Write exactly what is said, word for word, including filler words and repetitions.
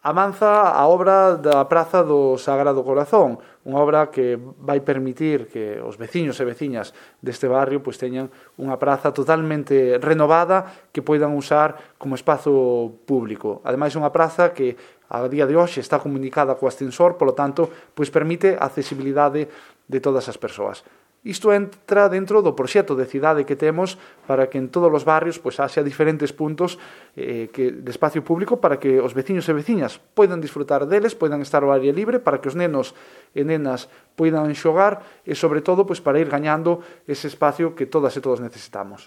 avanza a obra da Praza do Sagrado Corazón, unha obra que vai permitir que os veciños e veciñas deste barrio pois teñan unha praza totalmente renovada que poidan usar como espazo público. Ademais, unha praza que a día de hoxe está comunicada co ascensor, polo tanto, pois permite a accesibilidade de todas as persoas. Isto entra dentro do proxecto de cidade que temos para que en todos os barrios pois haxa diferentes puntos eh, que, de espacio público para que os veciños e veciñas poidan disfrutar deles, poidan estar ao aire libre, para que os nenos e nenas poidan xogar e, sobre todo, pois para ir gañando ese espacio que todas e todos necesitamos.